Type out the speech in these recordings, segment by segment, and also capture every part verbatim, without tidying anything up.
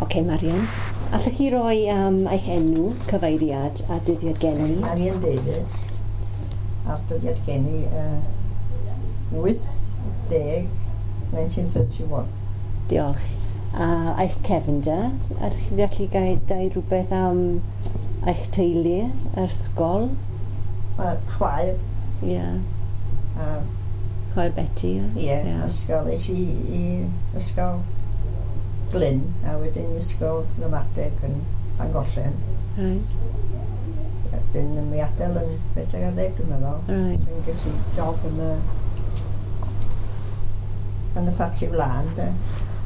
Oce, Marian. Allwch chi roi um, eich enw, cyfeiriad a dyddiad geni? Marian Davies, a'r dyddiad geni uh, wyth deg nineteen thirty-one. Diolch. A eich cefnder, ydych chi'n gallu gael dweud rhywbeth am eich teulu, yr ysgol? Uh, chwaer. Ie. Yeah. Uh, chwaer Betty, ie? Ie, yeah, ysgol. Es i i ysgol Glyn, a wedyn ysgol Ramadeg yn Llangollen. Right. Wedyn mi adael yn bedwar ar ddeg, dwi'n meddwl. Right. Wedyn ges i job yn y yn y ffatri wlân, de.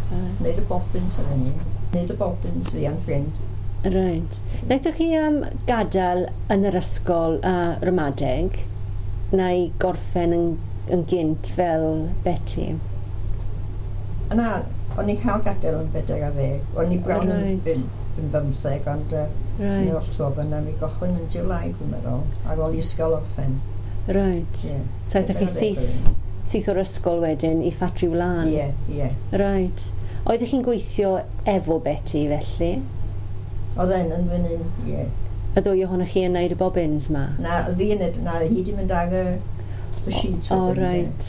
Right. Neud y bobbins ar hynny. Neud y bobbins fi a'n ffrind. Right. Naethoch chi um, gadael yn yr ysgol uh, Ramadeg neu gorffen yn, yn gynt fel Betty? Na, o'n i'n cael gadael yn bedwar ar ddeg. O'n i bron Right. yn, yn bymtheg, ond uh, Right. yn October, na mi gochwyn yn July, dwi'n meddwl, ar ôl i ysgol orffen. Right. Ie. So aethoch chi Bedwar ar ddeg syth, oedd hi. syth o'r ysgol wedyn i ffatri wlân? Ie, ie. Right. Oeddech chi'n gweithio efo Betty felly? Oedd e'n yn fan hyn, ie. Y ddwy ohonoch chi yn neud y bobbins ma? Na, fi yn neud, na, hi di mynd ar y, y sheets O, wedyn, de. right.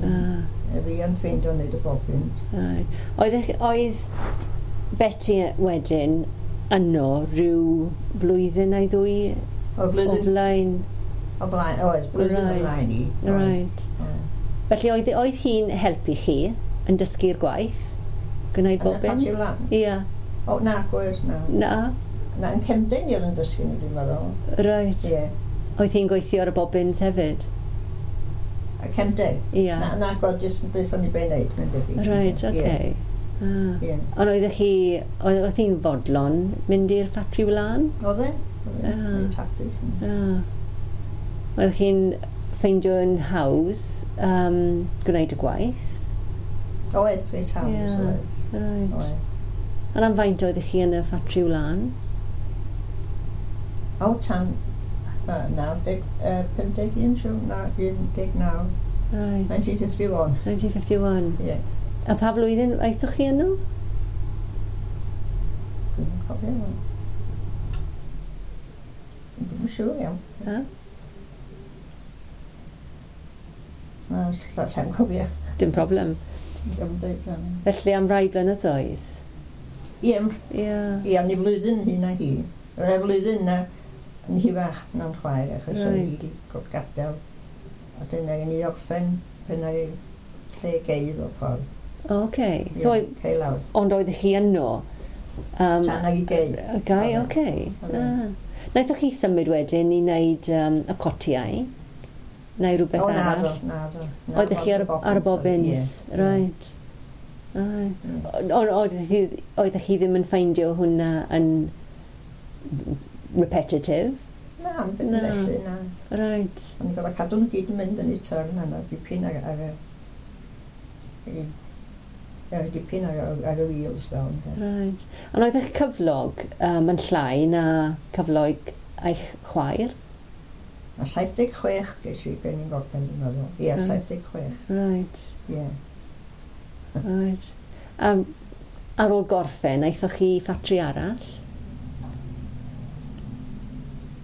Ah. Fi yn ffeindio wneud y bobbins. Right. Oedd, oedd Betty wedyn yno rhyw blwyddyn neu ddwy O, o blwyddyn flaen? O blaen, oedd, blwyddyn o Right. flaen i. Oedd. Right. Oedd. Felly oedd, oedd hi'n helpu chi yn dysgu'r gwaith? Gwneud Yn y bobbins? ffatri wlân? Ie. O, na, gwir, na. Na? Na, yn Cemden oedd yn dysgu ni, dwi'n meddwl. Right. Ie. Oedd hi'n gweithio ar y bobbins hefyd? A Cemden? Ie. Na, na, gwir, jyst yn dweud ni be wneud, mae'n debyg. Right, Ie. okay. Ah. Ie. Ond oeddech chi, oedd oedd hi'n fodlon mynd i'r ffatri wlân? Oedd e? Oedd e? Ah. Reit hapus. Ah. Oeddech chi'n ffeindio'n hawdd um, gwneud y gwaith? Oedd, reit hawdd, Ie. oedd. Right. Oedd. Ond am faint oeddech chi yn y ffatri wlân? O, tan uh, naw deg, uh, pum deg un, siŵr, na, un deg naw. Right. nineteen fifty-one. nineteen fifty-one. Ie. A pa flwyddyn aethoch chi yno? Dwi'm yn cofio wan. Dwi'm yn siŵr iawn. Ha? Na, lla- llai'm cofio. Dim problem. Dim deud iawn. Felly am rai blynyddoedd? Ie, m- Ie. ie, o'n i flwyddyn hyn a hi. Yr e flwyddyn na yn hirach na'n chwaer, achos oedd hi Reit. wedi go- gadael. A dyna ni orffen pan oedd lle geir o'r ffordd. Okay. Ie, So, oedd- cei lawr. ond oeddech chi yno? Um, Tan ag i geir. Okay, Oedd e. okay. Oedd e. Ah. Naethoch chi symud wedyn i wneud um, y cotiau? Neu rhywbeth O, na, arall? do, na, do. Na, Oeddech chi ar, y- ar y bobbins? Ie. Right. Aye. Ie. Ond oeddech chi, oeddech chi ddim yn ffeindio hwnna yn repetitive? Na, yn Na. felly, na. Right. O'n i'n gorfod cadw nhw gyd yn mynd yn eu turn yna, dipyn ar, ar y... i- Ie, dipyn ar, ar, ar y wheels fel, ynde. Right. Ond oedd eich cyflog um, yn llai na cyflog eich chwaer? A saith deg chwech ges i ben i'n gorffen, dwi'n meddwl. Ie, Right. saith deg chwech. Right. Ie. Right. Um, ar ôl gorffen, aethoch chi i ffatri arall?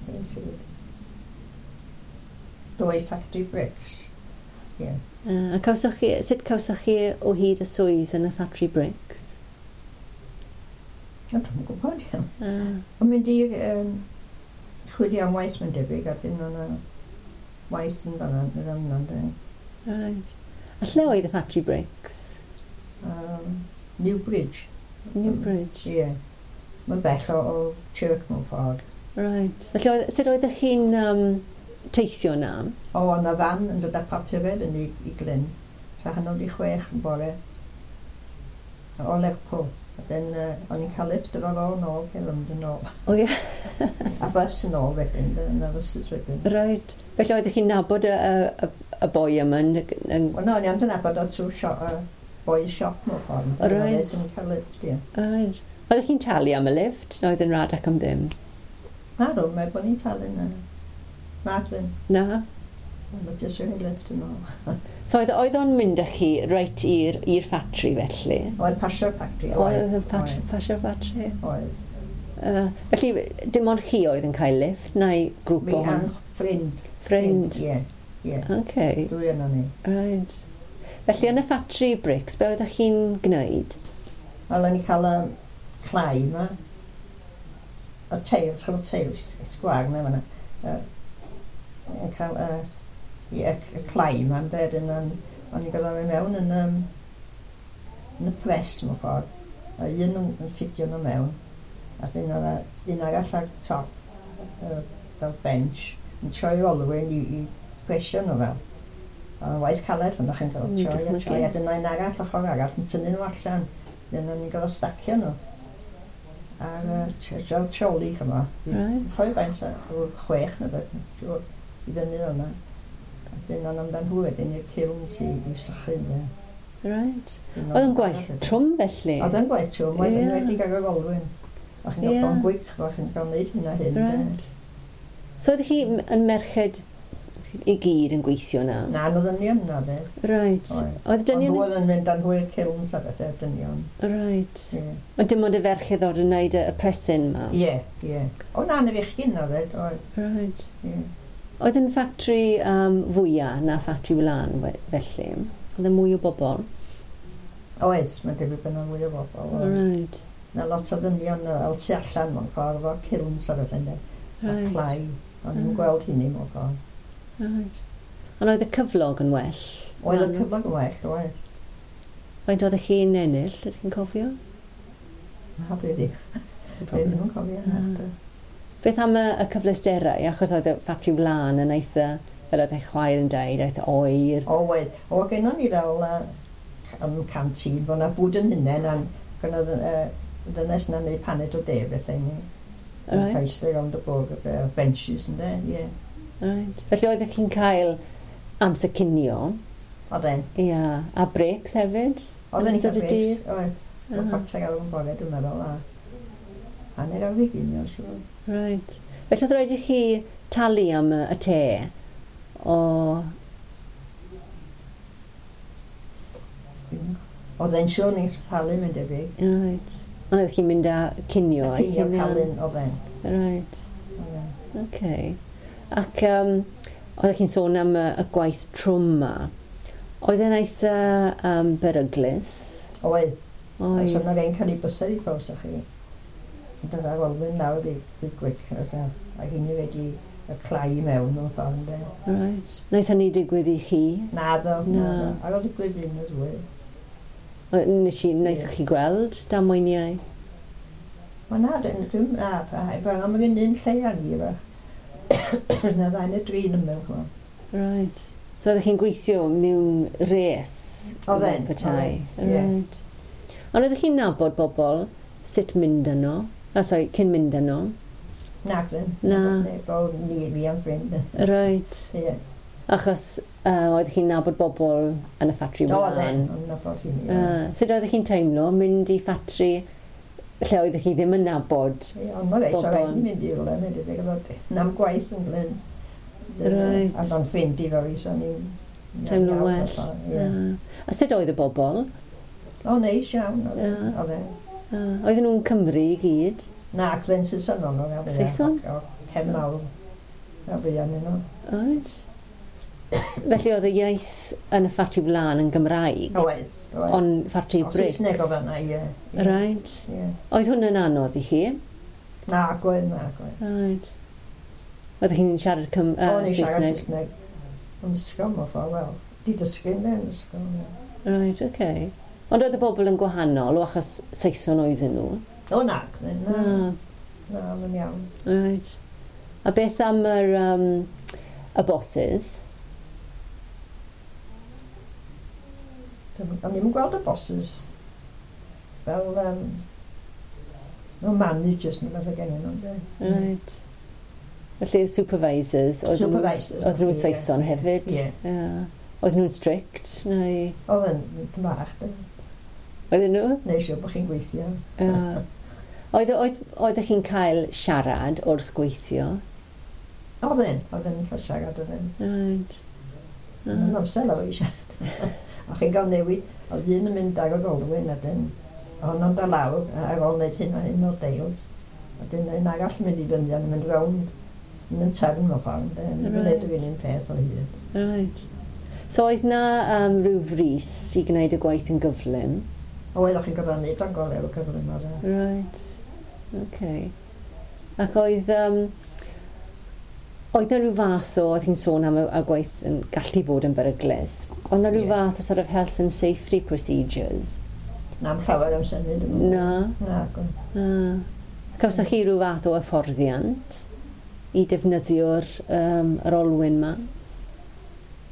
Ges i. Dwy Factory Bricks. Ie. Uh, a cawsoch chi, sut cawsoch chi o hyd y swydd yn y Factory Bricks? O, dwi'm yn gwybod iawn. Uh, O'n mynd i um, chwilio am waith mae'n debyg, a dyn o'na waith yn fan'na, yn fan'na, ynde. right. A lle oedd y Factory Bricks? Um, Newbridge. Newbridge. Ie. Mae'n bell o, o Chirk mewn ffordd. Right. Felly, oedd, sut oeddech chi'n um, teithio na? O, o'na fan yn dod â papurau fyny i, i Glyn. So hanner wedi chwech yn bore. O Lerpwl. A dyn, uh, o'n i'n cael lift efo fo nôl, i London nôl. O ie. A bus yn ôl wedyn, yna buses wedyn. Right. Felly oeddech chi'n nabod y, y, y, y boi yma yn... yn Wel, no, o'n i ond yn nabod o trwy shop, uh, boys shop mewn ffordd. O, reit. O'n i'n cael lift, ie. right. Oeddech chi'n talu am y lift? Na oedd yn rad ac am ddim? Na, rwy'n meddwl bod ni'n talu na. Na, dyn. Na? Mae jyst rhoi lift yn ôl. So oedd, oedd o'n mynd â chi reit i'r i'r ffatri felly? Oedd pasio'r ffatri, oedd. Oedd yn pasio'r ffatri? Oedd. Uh, felly, dim ond chi oedd yn cael lift, neu grŵp o hon? Fi ffrind. Ffrind? Ie, ie. Okay. Dwy yno ni. Right. Felly, yn y ffatri bricks, be oeddech chi'n gwneud? Wel, o'n i cael y clai yma. Y teils, chael y teils, sgwar yma fan'na. Yn cael y, y, y clai yma, yn dweud, o'n i'n gael o'n mewn yn, um, yn y press, mewn ffordd. A un yn, yn ffidio nhw mewn. A dyn oedd un arall ar top, uh, fel bench, yn troi olwyn i, i presio nhw fel. Ond waith caled hwnnw chi'n cael troi a troi. A dyna un arall, ochr arall, yn tynnu nhw allan. Dyna ni'n gael stacio nhw. Ar uh, fel troli chyma. Right. Choi faint, chwech neu beth, i fyny o'na. A dyna amdan nhw wedyn i'r kilns i, i sychu. Right. Oedd yn gwaith trwm felly? Oedd yn gwaith trwm, oedd yn wedi gael yr olwyn. O'ch chi'n cael yeah. Gwyc, o'ch chi'n cael wneud hyn a hyn. Right. So oeddech chi yn merched i gyd yn gweithio na? Na, nhw ddynion na fe. Right. Oedd dynion... Ond nhw oedd yn mynd â nhw i'r kilns a bethau, dynion. Right. Yeah. Ond dim ond y ferched oedd yn wneud y, y presyn ma? Ie, yeah, ie. Yeah. O na, na fechgyn na fe, oedd. Right. Yeah. Oedd yn ffatri um, fwyaf na ffatri wlân felly? Oedd yn mwy o bobl? Oedd, mae'n debyg bod yna mwy o bobl. Right. Na lot o ddynion fel tu allan mewn ffordd, efo kilns a bethau, ynddo. Right. A clai. O'n i'n gweld hynny mewn ffordd. Right. Ond oedd y cyflog yn well? Oedd y cyflog yn well, oedd. Faint oeddech chi'n ennill, ydych chi'n cofio? Na, dwi ddim. Dwi ddim yn cofio. Na. Beth am y, y cyfleusterau? Achos oedd y ffatri wlân yn eitha, fel oedd eich chwaer yn dweud, eitha oer. O, oedd. O, gennon ni fel uh, um, canteen, bod na bwyd yn hunain, a gynnodd uh, dynes na'n neud paned o de bethau ni. Right. Yn cael rownd y bwrdd, y benches yn de, ie. Yeah. Right. Felly oeddech chi'n cael amser cinio? Oedden. Ia. Yeah. A breaks hefyd? Oedden ni'n cael breaks, oedd. Oedd chwarter awr yn bore, dwi'n meddwl, a hanner awr i ginio, siŵr. Right. Felly oedd rhaid i chi talu am y, y te? O... Oedd e'n siŵr ni'n talu, mae'n debyg. Right. Ond oeddech chi'n mynd â cinio? A cinio calun, oedd e'n. Right. Okay. Ac um, oeddech chi'n sôn am y, y gwaith trwm ma. Oedd e'n eitha um, beryglus? Oedd. Oedd. So yna rhain cael ei bysedd i ffawr, sa'ch chi. Yn dod ar olwyn nawr i, i gwyc. A hynny wedi y clai i mewn mewn ffordd, ynde. Right. Wnaeth hynny digwydd i chi? Na, do. Na. Ar ôl digwydd un o ddwy. Nes i, wnaethoch chi gweld damweiniau? Wel na, dwi'n, na, pa, am yr un un lle ar ni, efo. Na ddau neu dri yn ymwyl, chwa. Right. So oeddech chi'n gweithio mewn res? Oedden. Petai. Oedden, ie. Right. Ond oeddech chi'n nabod bobl sut mynd yno? Ah, sorry, cyn mynd yno? Na, dyn. Na. Bo ni, fi a'n ffrind. Right. Ie. Achos uh, oeddech chi'n nabod bobl yn y ffatri O, wlân? Oedden, o'n nabod hynny. Uh, sut oeddech chi'n teimlo mynd i ffatri lle oeddech chi ddim yn nabod Ie, ond ma' reit, bobl? o rhaid i mynd i rywle, mynd i ddweud, nam gwaith yn glyn. Right. A o'n ffrind i fo fi, so o'n i'n... Teimlo'n well. Ie. Uh, a sut oedd y bobl? O, neis iawn, oedd e. Ie. Oedd e. Uh, oedden nhw'n Cymru i gyd? Na, glyn Saeson o'n nhw. Saeson? O, cefn mawr. A fi arnyn nhw. Right. Felly oedd y iaith yn y ffatri wlân yn Gymraeg? Oedd, oedd. Ond ffatri O, bricks? Saesneg oedd yna, ie. Ie. Right. Ie. Oedd hwn yn anodd i chi? Na, gwen, na, gwen. Right. Oeddech chi'n siarad Cym uh, O'n i'n siarad Saesneg? Saesneg. Yn ysgol mewn ffordd, wel. Di dysgu yn yn ysgol, ie. Right, okay. Ond oedd y bobl yn gwahanol o achos Saeson oedden nhw? O, na, na. Na. Na, mae'n iawn. Right. A beth am yr, um, y bosses? O'n i'm yn gweld y bosses fel um, no managers neu beth o gen nhw. ynde? Right. Felly y supervisors, oedd nhw'n Supervisors, oedd nhw'n ie. Saeson hefyd? Ie. Yeah. Oedd nhw'n strict, neu... Oedd yn bach, de. Oedden nhw? Neu siŵr bod chi'n gweithio. Yeah. Oedd, oedd, oeddech chi'n cael siarad wrth gweithio? Oedd yn, oedd yn cael siarad oedd yn. Right. Yn amser lawr eisiau. A chi'n cael newid, oedd un yn mynd ar yr olwyn, a dyn, honno'n dod lawr ar ôl wneud hyn a hyn o deils. A dyn un arall yn mynd i fyny, yn mynd rownd yn y trefn mewn ffordd. Yn gwneud yr un un peth o hyd. Right. So oedd na um, rhyw frys i gwneud y gwaith yn gyflym? Oedd, o'ch chi'n gorfod neud o'n gorau efo cyflym oedd e. Right. Okay. Ac oedd... Um, oedd na rhyw fath o, oedd hi'n sôn am y, y gwaith yn gallu fod yn beryglus, oedd na rhyw Ie. fath o sort of health and safety procedures? Na, am llawer am symud. Dwi'm yn Na. Na, gwn. Na. Cawsoch chi rhyw fath o hyfforddiant i defnyddio'r um, yr olwyn ma?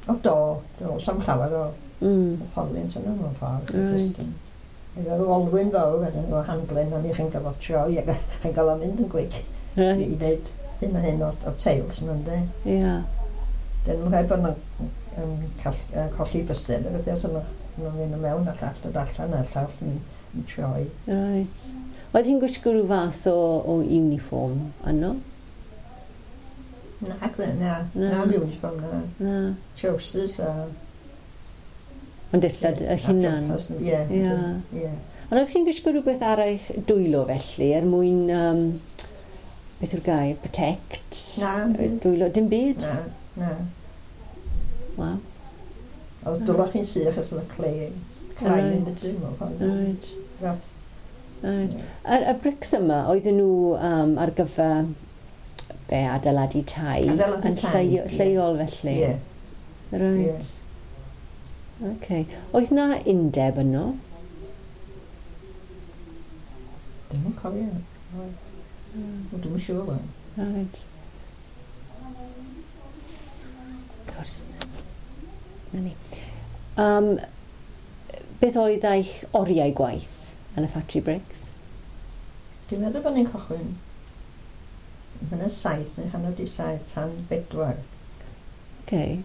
O, do, do, sam llawer o Mm. hyfforddiant yna mewn ffordd. Right. Jyst yn- Efo'r olwyn fawr, wedyn efo handlen, o'n i chi'n gorfod troi ac chi'n gael o mynd yn gwic i Right. wneud hyn a hyn o, o teils ma'n de. Ie. Yeah. Dyn nhw'n rhaid bod nhw'n um, call, uh, colli bysedd, a beth os nhw'n mynd mewn a llall dod allan a llall yn, yn troi. Right. Oedd hi'n gwisgo rhyw fath o, o uniform yno? Na, na, na, Na. na, na uniform, na. Na. Trousers a... Ond dillad y hunan. a jumpers, Ie, Ie. ie. Ond oedd chi'n gwisgo rhywbeth ar eich dwylo felly, er mwyn, um, beth yw'r gair, protect? Na, Dwylo, dim byd? na, na. Waw. Oedd dwylo chi'n sych os oedd y clay, clay yn Right. dydyn mewn ffordd. Right. Rough. Right. Y, y brics yma, oedden nhw um, ar gyfer be, adeiladu tai? Adeiladu yn tai, lleio- ie. lleol felly? Ie. Right. Okay. Oedd na undeb yno? Dwi'm yn cofio. Oedd. Wel, Dwi'm yn siŵr. wan. Right. Cors. Na ni. Um, beth oedd eich oriau gwaith yn y factory bricks? Dwi'n meddwl bod ni'n cychwyn yn y saith neu hanner di saith tan bedwar. Okay.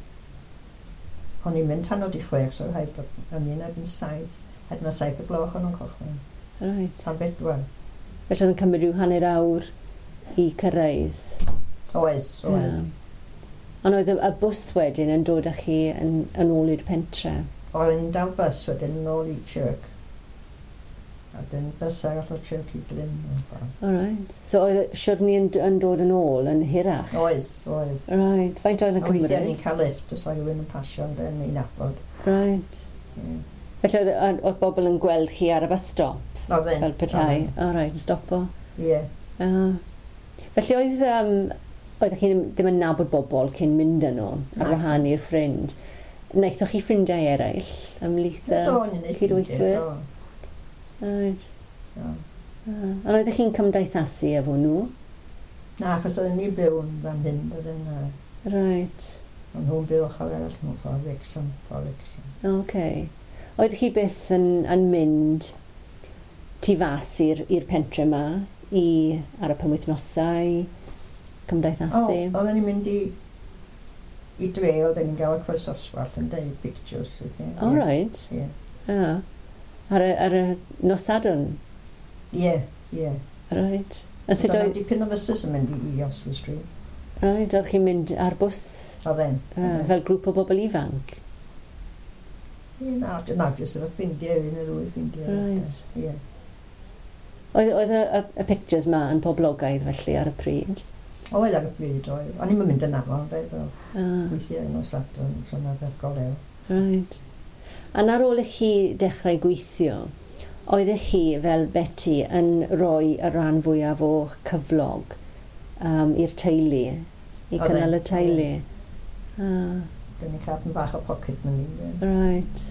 O'n i'n mynd hanner di chwech, so rhaid bod o'n i'n erbyn saith. Rhaid na saith o gloch o'n nhw'n cychwyn. Right. Tan bedwar. Felly oedd yn cymryd rhyw hanner awr i cyrraedd. Oedd, oedd. Ie. Ond oedd y, y bws wedyn yn dod â chi yn, yn ôl i'r pentre. Oedd ni'n dal bus wedyn yn ôl i Chirk. A dyn bus arall o Chirk i Glyn. mewn ffordd. All right. So oedd y siwrne yn, yn dod yn ôl yn hirach? Oedd, oedd. Right. Faint oedd yn A weithiau ni'n cymryd? cael lift os oedd rhywun yn pasio yn dyn ni'n nabod. Right. Ie. Felly oedd, oedd oedd bobl yn gweld chi ar y bus stop? Oedd e'n. Fel petai? All right, yn stopo. Ie. Uh, felly oedd, um, oeddech chi ddim, ddim yn nabod bobl cyn mynd yno, ar Na. wahân i'r ffrind. Wnaethoch chi ffrindiau eraill ymhlith y... Do, ni'n neud cydweithwyr? ffrindiau, Right. do, do. Uh, ond oeddech chi'n cymdeithasu efo nhw? Na, achos oedden ni'n byw yn fan hyn, oedden uh, Right. Ond nhw'n byw ochr arall mewn ffordd Wrexham, ffordd Wrexham. Okay. Oeddech chi byth yn, yn mynd tu fas i'r i'r pentre yma i ar y penwythnosau, O, cymdeithasu? oedden ni'n mynd i i dre, oedden ni'n gael y Croes Oswallt yn deud pictures. weithiau. All right. Ie, Yeah. Ar y, ar y nos Sadwrn? ie. ie. Right. A sut Oedd oedd... dipyn o fysus yn mynd i, i Oswald Street. Right, oedd chi'n mynd ar bws Oedden. uh, fel grŵp o bobl ifanc? Ie, na, na, jyst efo ffrindiau, un neu ddwy ffrindiau. Right. Ie. Oedd, oedd y, y, y pictures ma yn poblogaidd felly ar y pryd? Oedd ar y pryd, oedd. O'n i'm yn mynd yn aml, de, fel Ah, weithiau nos Sadwrn, so na beth golew. right. A ar ôl i chi dechrau gweithio, oeddech chi fel Betty yn rhoi y rhan fwyaf o'ch cyflog um, i'r teulu, i Oedden, cynnal y teulu? Ah, Dyn ni'n cael bach o pocket money. de. right.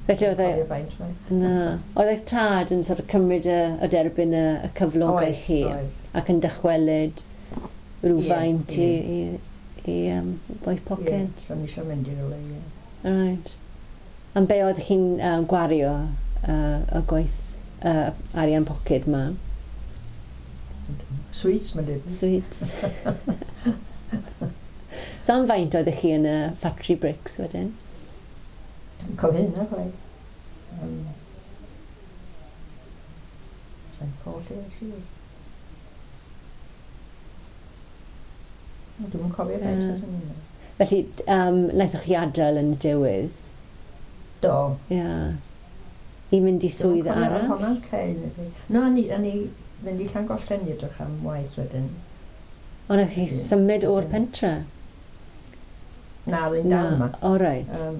Felly oedd e, Cofio faint mae. na, oedd eich tad yn sort of cymryd y, y derbyn y, y cyflog i Oedd, chi oedd. ac yn dychwelyd rhywfaint Ie, i, i, i um, gwaith poced? Ie, so ni eisiau mynd i rywle, ie. Right. Am be oedd chi'n uh, gwario uh, y gwaith uh, arian poced ma? Sweets, mae'n dweud. Sweets. So am faint oeddech chi yn y factory bricks wedyn? Dwi'n cofio hynna, chwaith. Um, Sa'n colli, siŵr. No, Dwi'm yn cofio faint Ie. oedd yn hynna. Felly, um, wnaethoch chi adael yn y diwedd? Do. Ie. Yeah. I mynd i swydd arall? Hwnna'n cei. No, o'n i, o'n i mynd i Llangollen i edrych am waith wedyn. Ond wnaethoch chi Ie. symud o'r Ie. pentre? Na, oedd dal yma. O, reit. Um,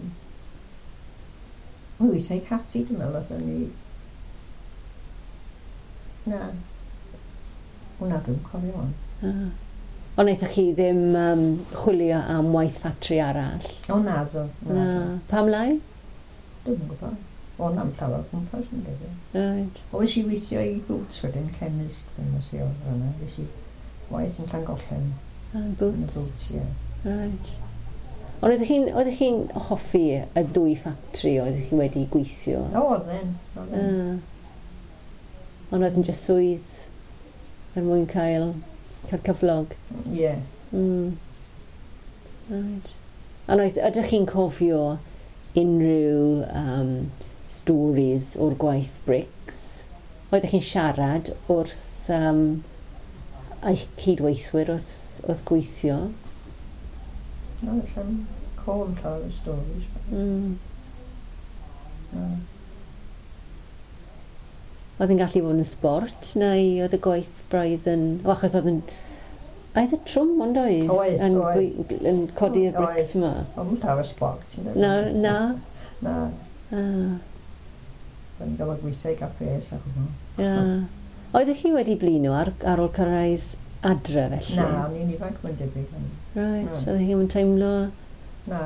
o, weithiau caffi, dwi'n meddwl, os o'n i... Na. Hwna dwi'n cofio hwn. Ah. Ond wnaethoch chi ddim um, chwilio am waith ffatri arall? O, na, ddo. Na. Na. ddo. Pam lai? Dwi'm yn gwybod. O, na'm llawer o gwmpas yn debyg. Right. O, es i weithio i Boots wedyn, chemist, dwi'n nes i o fan'na. Es i waith yn Llangollen. Ah, Yn y Boots. Boots, ie. Right. Ond oeddech chi'n oeddech chi'n hoffi y ddwy ffatri oeddech chi wedi gweithio? O, oedd e'n. Oedd e'n. Ah. Ond oedd yn jyst swydd er mwyn cael, cael cyflog. Ie. Mm. Right. Ond oes, ydych chi'n cofio unrhyw um, stories o'r gwaith bricks? Oeddech chi'n siarad wrth um, eich cydweithwyr wrth, wrth gweithio? No, allan cofn llawer o stories. Mm. No. Oedd yn gallu fod yn sbort, neu oedd y gwaith braidd yn... O, achos oedd yn... Oedd y trwm, ond oedd? Oedd, Yn, oedd. gwe- yn codi'r Oedd. brics yma. Oedd yn llawer o sbort. ti'n Na, dweud. na. Na. Ah, O'n i'n gael gweithio i gaffes ac hwnnw. ia. Oeddech chi wedi blino ar, ar ôl cyrraedd adre, felly? Na, o'n i'n ifanc mae'n debyg. o'n i. Right, Na. oeddech chi'n teimlo... Na.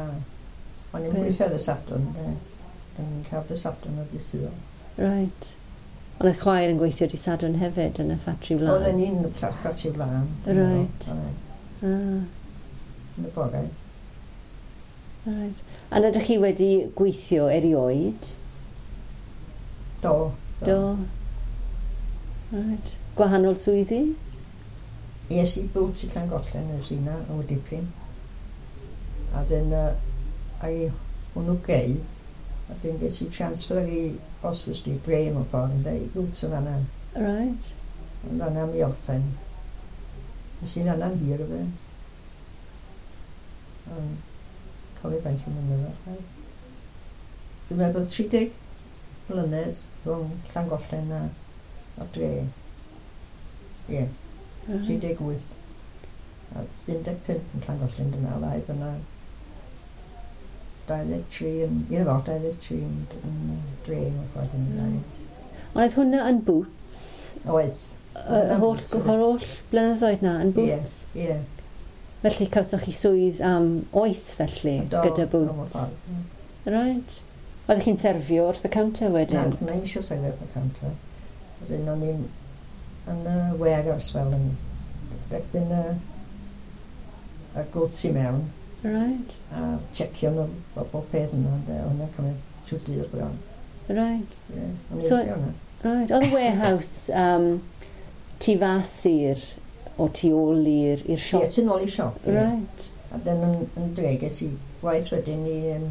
O'n i'n Be? gweithio ar y Sadwrn, de. O'n i'n cael y Sadwrn o dydd Sul. Right. Ond oedd chwaer yn gweithio di Sadwrn hefyd yn y ffatri wlân? Oedden ni'n ffatri wlân. Right. Oedd, Ah, Yn y bore. right. A ydych chi wedi gweithio erioed? Do. Do. Right. Gwahanol swyddi? Es i Boots i Llangollen, es i na, o dipyn. A dyn, uh, ai hwnnw gei, a dyn ges i transfer i Oswestry Street, dre mewn ffordd, ynde, i Boots yn fan'na. Right. Yn fan'na mi orffen. Es i'n fan'na'n hir fe. Um, cofio faint i'n mynyddoedd. Dwi'n meddwl bod tri deg mlynedd rhwng Llangollen a, a dre. Ie. Yeah. Right. tri deg wyth. A un deg pump yn Llangollen, dwi'n meddwl, a fyna dau ddeg tri yn, ie fo, dau ddeg tri yn, yn dre mewn ffordd yn dau. Ond oedd hwnna yn Boots? Oes. Yr holl, Boots, ie. yr holl blynyddoedd na yn Boots? Ie. Felly cawsoch chi swydd am oes felly Do, gyda do, mewn Boots? ffordd, ie. Right. Oeddech chi'n serfio wrth y counter Na, wedyn? na i'm eisiau sefyll wrth y counter. Wedyn o'n i'n yn y warehouse fel yn derbyn y, y goods i mewn Right, a checio nhw bob, bob peth yno. ynde. Oedd hwnna'n cymryd trwy dydd bron. right, Ie, o'n i'n So- licio hwnna. right. Oedd y warehouse um, tu fas i'r, o tu ôl i'r i'r Ie, siop? tu nôl i siop. ie. Right. A dyn yn, yn dre ges i waith wedyn i um,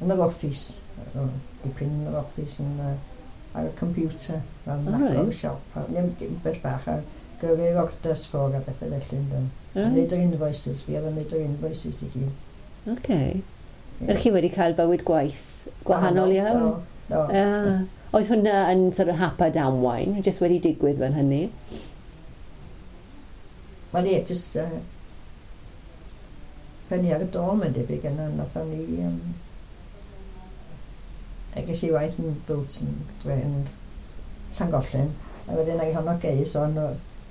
yn yr office. O, Dipyn yn yr office yn, uh, ar y computer. Fel O, oh, reit. o'r siop. A Ddim dim beth bach a gyrru'r orders ffwrdd a bethau felly. Ynddo. Right. Neud yr invoices, fi oedd yn neud yr invoices i gyd. Okay. Ie. Ydych chi wedi cael bywyd gwaith gwahanol iawn? Do, do. Ah. Oedd hwnna yn sort of hap a damwain, jyst wedi digwydd fel hynny? Wel ie, jyst uh, pennu ar y dôl mae'n debyg yna, nathon ni... Um, a ges i waith yn Boots yn, dre, yn Llangollen, a wedyn ag honno gei, so o'n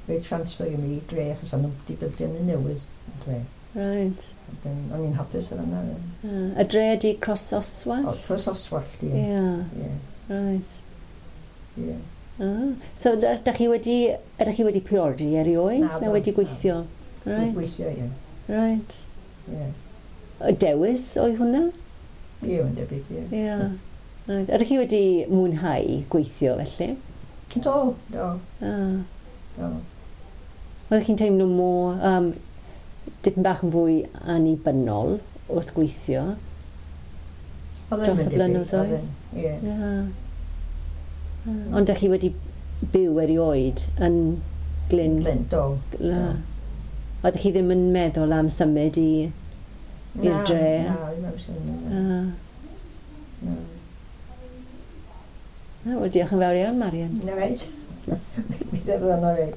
fe transfer i mi i dre, achos o'n nhw wedi bildio yn newydd yn dre. Right. Wedyn, o'n i'n hapus ar yna. Ah. Y dre ydi Cross Oswald? O, Cross Oswald, ie. Ie, Ie, right. ie. Ah. So, da, da chi wedi, ydych chi wedi priodi erioed? Naddo, Neu wedi gweithio? Right. Right, Gweithio, ie. right. Ie, Y dewis oedd hwnna? ie, mae'n debyg, ie. Ie. Right. Ydych chi wedi mwynhau gweithio felly? Do, do, Ah. do. Oeddech chi'n teimlo mor, um, dipyn bach yn fwy annibynnol wrth gweithio? Oedd e'n Dros y debyg, blynyddoedd? oedd e'n, Ie. Ie. Ah. Ond ydych chi wedi byw erioed yn Glyn? Glyn, do. La. Oeddech chi ddim yn meddwl am symud i i'r dre? Na, ddim am symud. Na. Ah. Na. Na, wel, diolch yn fawr iawn, Marian. Na reit. Mi ddefnyddio reit.